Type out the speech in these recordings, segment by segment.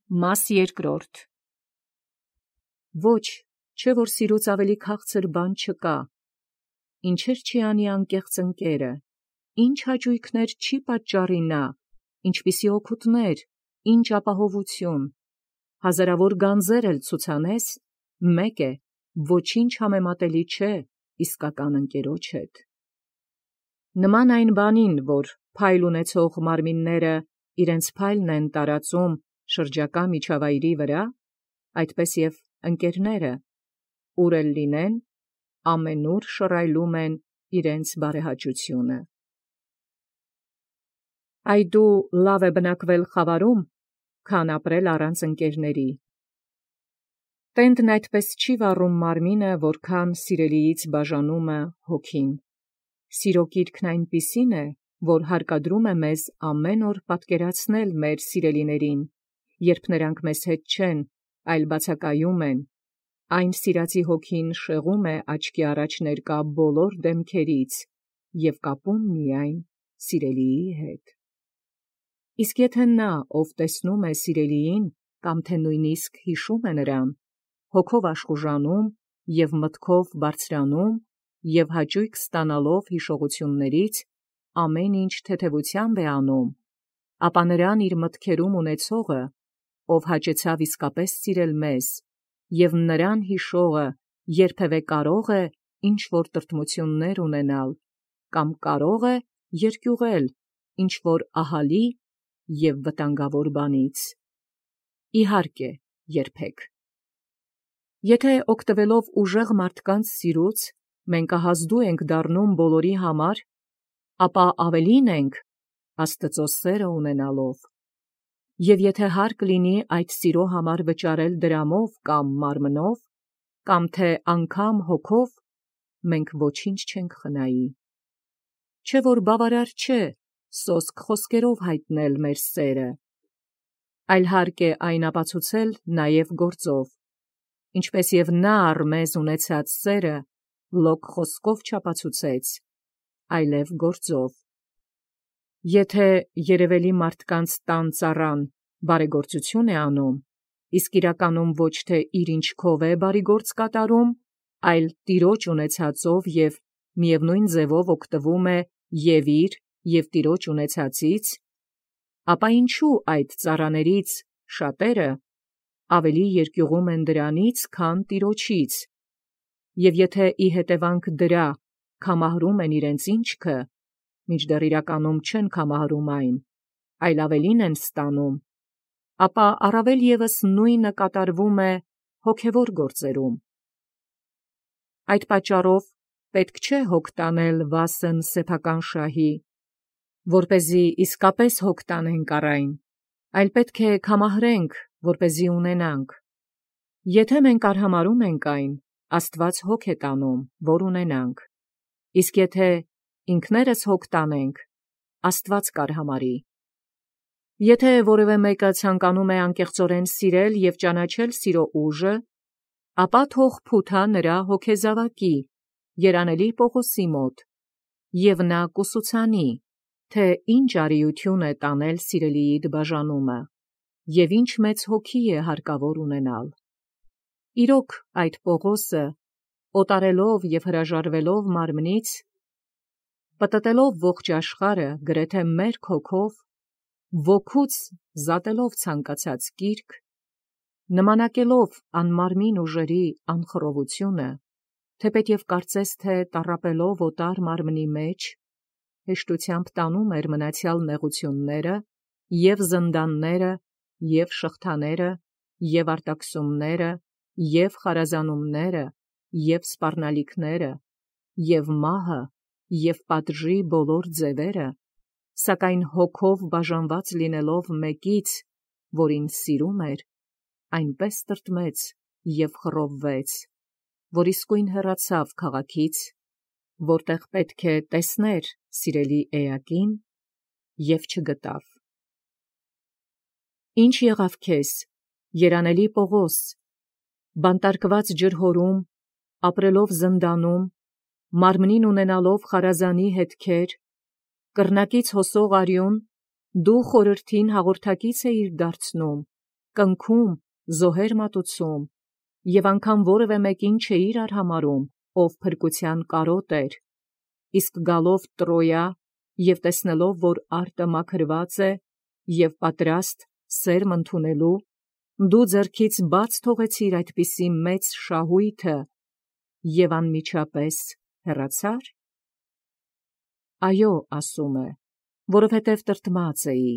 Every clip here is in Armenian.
Մաս երկրորդ. Ոչ, չէ որ սիրուց ավելի քաղցր բան չկա. ինչեր չի անի անկեղծ ընկերը, ինչ հաճույքներ չի պատճառի նա, ինչպիսի օգուտներ, ինչ ապահովություն, հազարավոր գանձեր էլ ցուցանես, մեկ է, ոչինչ համեմատելի չէ իսկական ընկերոջ հետ։ Նման այն բանին, որ փայլ ունեցող մարմինները իրենց փայլն են տարածում շրջակա միջավայրի վրա, այդպես և ընկերները, ուր էլ լինեն, ամենուր շռայլում են իրենց բարեհաճությունը։ Այդու լավ է բնակվել խավարում, քան ապրել առանց ընկերների։ Տենդն այդպես չի վառում մարմինը, որքան սիրելիից բաժանումը հոգին։ Սիրո կիրքն այնպիսին է, որ հարկադրում է մեզ ամեն օր պատկերացնել մեր սիրելիներին, երբ նրանք մեզ հետ չեն, այլ բացակայում են, այն սիրածի հոգին շեղում է աչքի առաջ ներկա բոլոր դեմքերից և կապում միայն սիրելիի հետ։ Իսկ եթե նա, ով տեսնում է սիրելիին, կամ թե նույնիսկ հիշում է նրան, հոգով աշխուժանում և մտքով բարձրանում և հաճույք ստանալով հիշողություններից, ամեն ինչ թեթևությամբ է անում, ապա նրան իր մտքերում ունեցողը, ով հաճեցավ իսկապես սիրել մեզ, և նրան հիշողը երբևէ կարող է ինչ-որ տրտմություններ ունենալ, կամ կարող է երկյուղել ինչ-որ ահալի և վտանգավոր բանից։ Իհարկե, երբեք։ Եթե օգտվելով ուժեղ մարդկանց սիրուց, մենք ահազդու ենք դառնում բոլորի համար, ապա ավելին ենք Աստծո սերը ունենալով, և եթե հարկ լինի այդ սիրո համար վճարել դրամով կամ մարմնով, կամ թե անգամ հոգով, մենք ոչինչ չենք խնայի։ Չէ՞ որ բավարար չէ սոսկ խոսքերով հայտնել մեր սերը, այլ հարկ է այն ապացուցել նաև գործով, ինչպես և նա առ մեզ ունեցած սերը լոկ խոսքով չապացուցեց, այլև գործով։ Եթե երևելի մարդկանց տան ծառան բարեգործություն է անում, իսկ իրականում ոչ թե իր ինչքով է բարիգործ կատարում, այլ տիրոջ ունեցածով և միևնույն ձևով օգտվում է և իր, և տիրոջ ունեցածից, ապա ինչու այդ ծառաներից շատերը ավելի երկյուղում են դրանից, քան տիրոջից, և եթե ի հետևանք դրա կամահրում են իրենց ինչքը, մինչդեռ իրականում չեն կամահրում այն, այլ ավելին են ստանում, ապա առավել ևս նույնը կատարվում է հոգևոր գործերում։ Այդ պատճառով պետք չէ հոգ տանել վասն սեփական շահի, որպեսզի իսկապես հոգ տանենք առ այն, այլ պետք է կամահրենք, որպեսզի ունենանք։ Եթե մենք արհամարհում ենք այն, Աստված հոգ է տանում, որ ունենանք, իսկ եթե ինքներս հոգ տանենք, Աստված կարհամարհի։ Եթե որևէ մեկը ցանկանում է անկեղծորեն սիրել և ճանաչել սիրո ուժը, ապա թող փութա նրա հոգեզավակի, երանելի Պողոսի մոտ, և նա կուսուցանի, թե ինչ արիություն է տանել սիրելիիդ բաժանումը, և ինչ մեծ հոգի է հարկավոր ունենալ։ Իրոք այդ Պողոսը, օտարելով և հրաժարվելով մարմնից, պտտելով ողջ աշխարհը գրեթե մերկ հոգով, ոգուց զատելով ցանկացած կիրք, նմանակելով անմարմին ուժերի անխռովությունը, թեպետև կարծես թե տառապելով օտար մարմնի մեջ, հեշտությամբ տանում էր մնացյալ նեղությունները և զնդանները և շղթաները և արտաքսումները և խարազանումները և սպառնալիքները և մահը և պատժի բոլոր ձևերը, սակայն հոգով բաժանված լինելով մեկից, որին սիրում էր, այնպես տրտմեց և խռովվեց, որ իսկույն հեռացավ քաղաքից, որտեղ պետք է տեսներ սիրելի էակին, և չգտավ։ Ի՞նչ եղավ քեզ, երանելի Պողոս, բանտարկված ջրհորում, ապրելով զնդանում, մարմնին ունենալով խարազանի հետքեր, կռնակից հոսող արյուն, դու խորհրդին հաղորդակից էիր դարձնում, կնքում, զոհեր մատուցում, և անգամ որևէ մեկին չէիր արհամարում, ով փրկության կարոտ էր, իսկ գալով Տրոյա և տեսնելով, որ արտը մաքրված է և պատրաստ սերմ ընդունելու, դու ձեռքից բաց թողեցիր այդպիսի մեծ շահույթը և անմիջապես հեռացա՞ր։ Այո, ասում է, որովհետև տրտմած էի,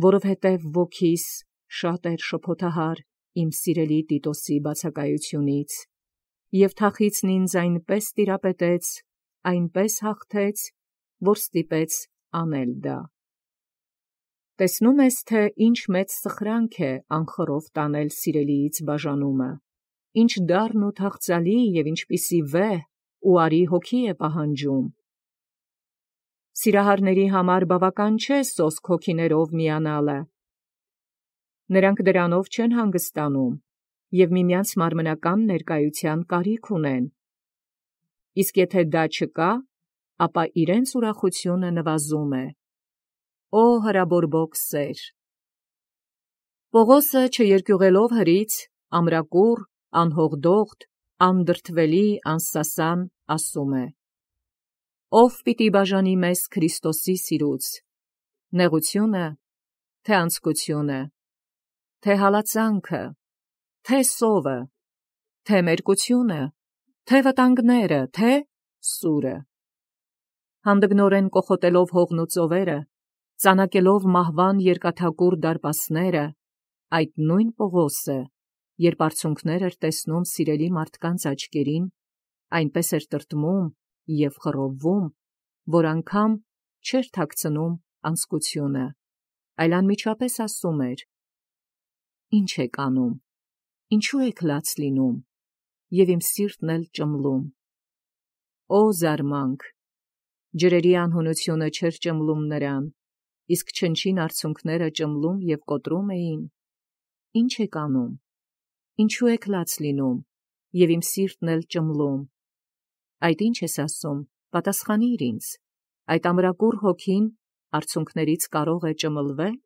որովհետև ոգիս շատ էր շփոթահար իմ սիրելի Տիտոսի բացակայությունից, և թախիծն ինձ այնպես տիրապետեց, այնպես հաղթեց, որ ստիպեց անել դա։ Տեսնում ես, թե ինչ մեծ սխրանք է անխռով տանել սիրելիից բաժանումը, ինչ դառն ու թախծալի և ինչպիսի վեհ ու արի հոգի է պահանջում։ Սիրահարների համար բավական չէ սոսկ հոգիներով միանալը։ Նրանք դրանով չեն հանգստանում և միմյանց մարմնական ներկայության կարիք ունեն։ Իսկ եթե դա չկա, ապա իրենց ուրախությունը նվազում է։ Օ հրաբորբոք սեր։ Պողոսը չերկյուղելով հրից, ամրակուռ, անհողդողդ, անդրդվելի, անսասան, ասում է. Ով պիտի բաժանի մեզ Քրիստոսի սիրուց, նեղությունը, թե անձկությունը, թե հալածանքը, թե սովը, թե մերկությունը, թե վտանգները, թե սուրը։ Հանդգնորեն կոխոտելով հողն ու ծովերը, ծանակելով մահվան երկաթակուռ դարպասները, այդ նույն Պողոսը, երբ արցունքներ էր տեսնում սիրելի մարդկանց աչքերին, այնպես էր տրտմում և խռովվում, որ անգամ չէր թաքցնում անձկությունը, այլ անմիջապես ասում էր. «Ինչ եք անում, ինչու եք լաց լինում, և իմ սիրտն էլ ճմլում»։ Օ զարմանք, ջրերի անհունությունը չէր ճմլում նրան, իսկ չնչին արցունքները ճմլում և կոտրում էին. «Ինչ եք անում, ինչու եք լաց լինում, և իմ սիրտն էլ ճմլում»։ Այդ ինչ ես ասում, պատասխանիր ինձ, այդ ամրակուռ հոգին արցունքներից կարող է ճմլվել։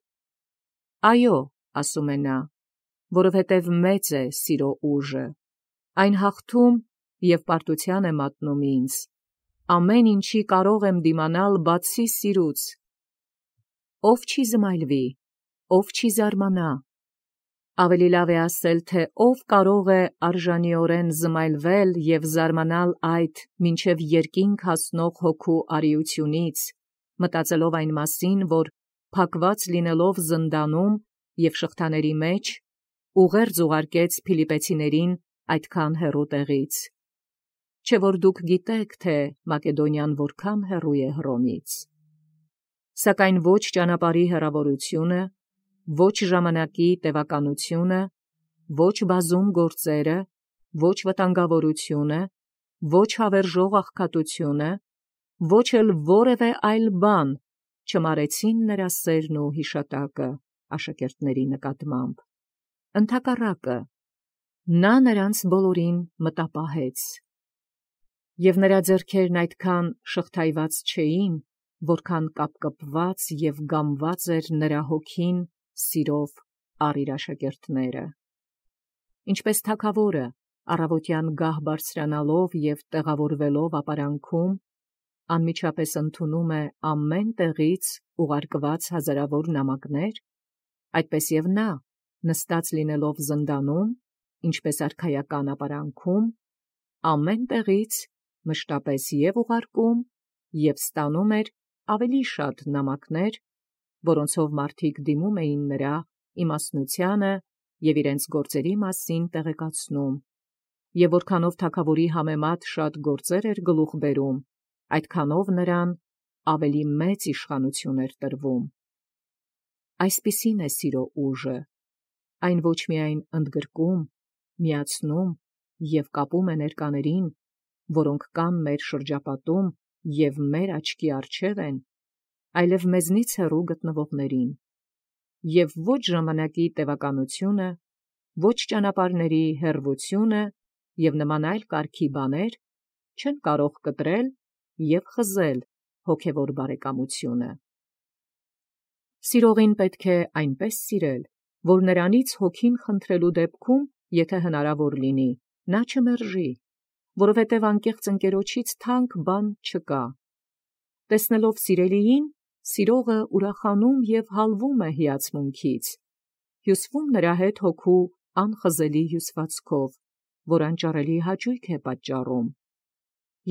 Այո, ասում է նա, որովհետև մեծ է սիրո ուժը, այն հաղթում և պարտության է մատնում ինձ, ամեն ինչի կարող եմ դիմանալ բացի սիրուց։ Ով չի զմայլվի, ով չի զարմանա։ Ավելի լավ է ասել, թե ով կարող է արժանիորեն զմայլվել և զարմանալ այդ մինչև երկինք հասնող հոգու արիությունից, մտածելով այն մասին, որ փակված լինելով զնդանում և շղթաների մեջ, ուղերձ ուղարկեց Փիլիպպեցիներին այդքան հեռու տեղից։ Չէ՞ որ դուք գիտեք, թե Մակեդոնիան որքան հեռու է Հռոմից։ Սակայն ոչ ճանապարհի հեռավորությունը, ոչ ժամանակի տևականությունը, ոչ բազում գործերը, ոչ վտանգավորությունը, ոչ հավերժող աղքատությունը, ոչ էլ որևէ այլ բան չմարեցին նրա սերն ու հիշատակը աշակերտների նկատմամբ։ Ընդհակառակը, նա նրանց բոլորին մտապահեց։ Եվ նրա ձեռքերն այդքան շղթայված չէին, որքան կապկպված և գամված էր նրա հոգին սիրով առ իր աշակերտները։ Ինչպես թագավորը առավոտյան գահ բարձրանալով և տեղավորվելով ապարանքում, անմիջապես ընդունում է ամեն տեղից ուղարկված հազարավոր նամակներ, այդպես և նա, նստած լինելով զնդանում, ինչպես արքայական ապարանքում, ամեն տեղից մշտապես և ուղարկում և ստանում էր ավելի շատ նամակներ, որոնցով մարդիկ դիմում էին նրա իմաստնությանը և իրենց գործերի մասին տեղեկացնում, և որքանով թագավորի համեմատ շատ գործեր էր գլուխ բերում, այդքանով նրան ավելի մեծ իշխանություն էր տրվում։ Այսպիսին է սիրո ուժը, այն ոչ միայն ընդգրկում, միացնում և կապում է ներկաներին, որոնք կան մեր շրջապատում և մեր աչքի առջև են, այլև մեզնից հեռու գտնվողներին, և ոչ ժամանակի տևականությունը, ոչ ճանապարհների հեռվությունը և նման այլ կարգի բաներ չեն կարող կտրել և խզել հոգևոր բարեկամությունը։ Սիրողին պետք է այնպես սիրել, որ նրանից հոգին խնդրելու դեպքում, եթե հնարավոր լինի, նա չմերժի, որովհետև անկեղծ ընկերոջից թանկ բան չկա։ Տեսնելով սիրելիին, սիրողը ուրախանում և հալվում է հիացմունքից, հյուսվում նրա հետ հոգու անխզելի հյուսվածքով, որ անճարելի հաճույք է պատճառում։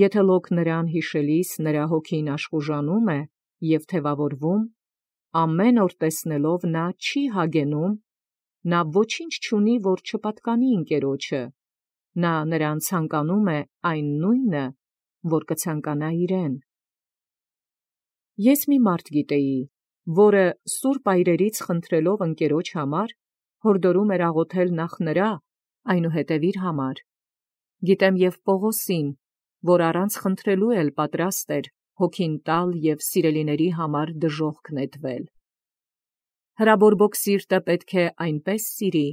Եթե լոկ նրան հիշելիս նրա հոգին աշխուժանում է և թևավորվում, ամեն օր տեսնելով նա չի հագենում, նա ոչինչ չունի, որ չպատկանի ընկերոջը, նա նրան ցանկանում է այն նույնը, որ կցանկանա իրեն։ Ես մի մարդ գիտեի, որը սուրբ այրերից խնդրելով ընկերոջ համար, հորդորում էր աղոթել նախ նրա, այնուհետև իր համար։ Գիտեմ և Պողոսին, որ առանց խնդրելու էլ պատրաստ էր հոգին տալ և սիրելիների համար դժոխք նետվել։ Հրաբորբոք սիրտը պետք է այնպես սիրի,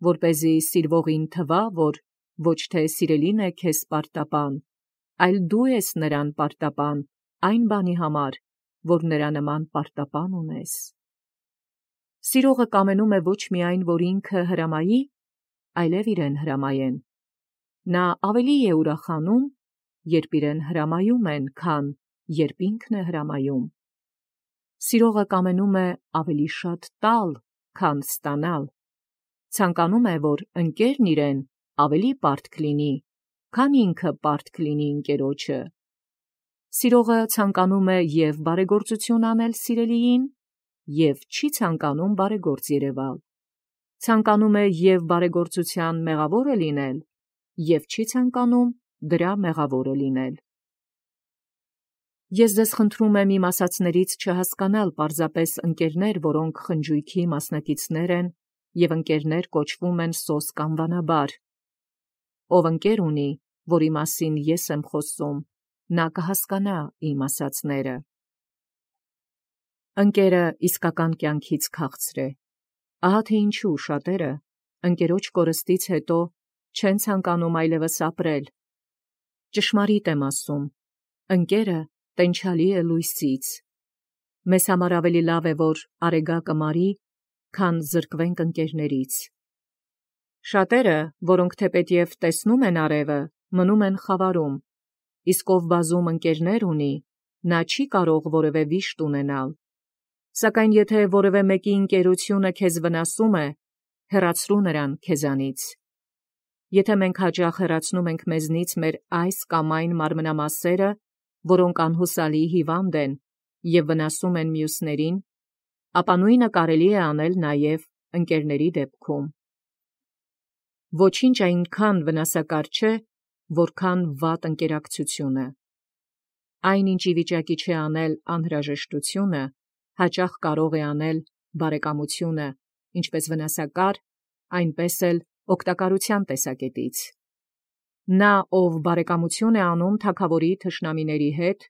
որպեսզի սիրվողին թվա, որ ոչ թե սիրելին է քեզ պարտապան, այլ դու ես նրան պարտապան այն բանի համար, որ նրա նման պարտապան ունես։ Սիրողը կամենում է ոչ միայն, որ ինքը հրամայի, այլև իրեն հրամայեն։ Նա ավելի է ուրախանում, երբ իրեն հրամայում են, քան երբ ինքն է հրամայում։ Սիրողը կամենում է ավելի շատ տալ, քան ստանալ։ Ցանկանում է, որ ընկերն իրեն ավելի պարտք լինի, քան ինքը պարտք լինի ընկերոջը։ Սիրողը ցանկանում է և բարեգործություն անել սիրելիին, և չի ցանկանում բարեգործ երևալ։ Ցանկանում է և բարեգործության մեղավորը լինել, և չի ցանկանում դրա մեղավորը լինել։ Ես ձեզ խնդրում եմ իմ ասացներից չհասկանալ պարզապես ընկերներ, որոնք խնջույքի մասնակիցներ են և ընկերներ կոչվում են սոսկ անվանաբար։ Ով ընկեր ունի, որի մասին ես եմ խոսում, նա կհասկանա իմ ասածները։ Ընկերը իսկական կյանքից քաղցր է։ Ահա թե ինչու շատերը ընկերոջ կորստից հետո չեն ցանկանում այլևս ապրել։ Ճշմարիտ եմ ասում, ընկերը տենչալի է լույսից։ Մեզ համար ավելի լավ է, որ արեգակը մարի, քան զրկվենք ընկերներից։ Շատերը, որոնք թեպետև տեսնում են արևը, մնում են խավարում, իսկ ով բազում ընկերներ ունի, նա չի կարող որևէ վիշտ ունենալ։ Սակայն եթե որևէ մեկի ընկերությունը քեզ վնասում է, հեռացրու նրան քեզանից։ Եթե մենք հաճախ հեռացնում ենք մեզնից մեր այս կամ այն մարմնամասերը, որոնք անհուսալի հիվանդ են և վնասում են մյուսներին, ապա նույնը կարելի է անել նաև ընկերների դեպքում։ Ոչինչ այնքան վնասակար չէ, որքան վատ ընկերակցությունը։ Այն, ինչ ի վիճակի չէ անել անհրաժեշտությունը, հաճախ կարող է անել բարեկամությունը, ինչպես վնասակար, այնպես էլ օգտակարության տեսակետից։ Նա, ով բարեկամություն է անում թագավորի թշնամիների հետ,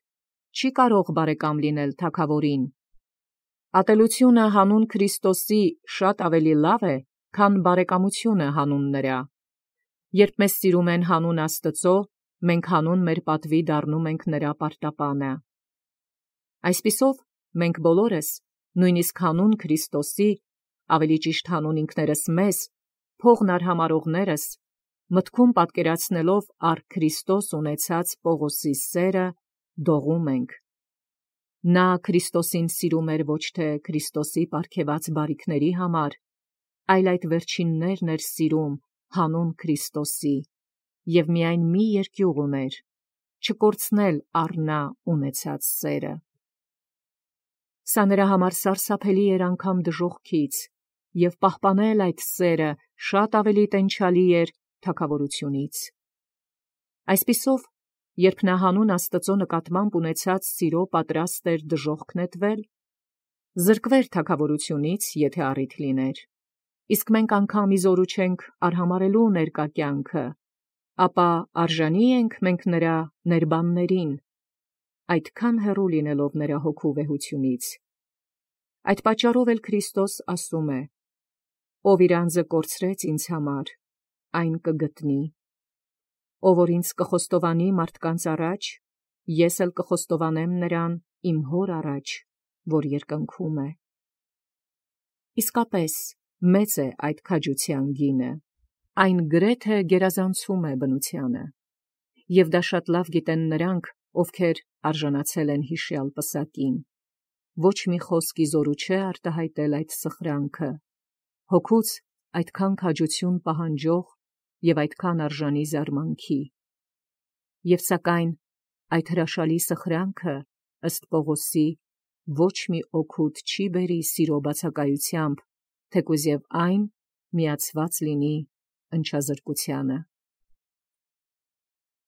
չի կարող բարեկամ լինել թագավորին։ Ատելությունը հանուն Քրիստոսի շատ ավելի լավ է, քան բարեկամությունը հանուն նրա։ Երբ մեզ սիրում են հանուն Աստծո, մենք հանուն մեր պատվի դառնում ենք նրա պարտապանը։ Այսպիսով, մենք բոլորս, նույնիսկ հանուն Քրիստոսի, ավելի ճիշտ հանուն ինքներս մեզ, փողն արհամարհողներս, մտքում պատկերացնելով առ Քրիստոս ունեցած Պողոսի սերը, դողում ենք։ Նա Քրիստոսին սիրում էր ոչ թե Քրիստոսի պարգևած բարիքների համար, այլ այդ վերջիններն էր սիրում հանուն Քրիստոսի, և միայն մի երկյուղ ուներ՝ չկորցնել առ նա ունեցած սերը։ Սա նրա համար սարսափելի էր անգամ դժոխքից, և պահպանել այդ սերը շատ ավելի տենչալի էր թագավորությունից։ Այսպիսով, երբ նա հանուն Աստծո նկատմամբ ունեցած սիրո պատրաստ էր դժոխք նետվել, զրկվեր թագավորությունից, եթե առիթ լիներ, իսկ մենք անգամ իզորու չենք արհամարհելու ներկա կյանքը, ապա արժանի ենք մենք նրա ներբաններին, այդքան հեռու լինելով նրա հոգու վեհությունից։ Այդ պատճառով էլ Քրիստոս ասում է. «Ով իր անձը կորցրեց ինձ համար, այն կգտնի։ Ով որ ինձ կխոստովանի մարդկանց առաջ, ես էլ կխոստովանեմ նրան իմ հոր առաջ, որ երկնքում է»։ Իսկապես, մեծ է այդ քաջության գինը, այն գրեթե գերազանցում է բնությանը, և դա շատ լավ գիտեն նրանք, ովքեր արժանացել են հիշյալ պսակին։ Ոչ մի խոսքի զորու չէ արտահայտել այդ սխրանքը, հոգուց այդքան քաջություն պահանջող և այդքան արժանի զարմանքի։ Եվ սակայն այդ հրաշալի սխրանքը, ըստ Պողոսի, ոչ մի օգուտ չի բերի սիրո բացակայությամբ, թեկուզ և այն միացված լինի ընչազրկությանը։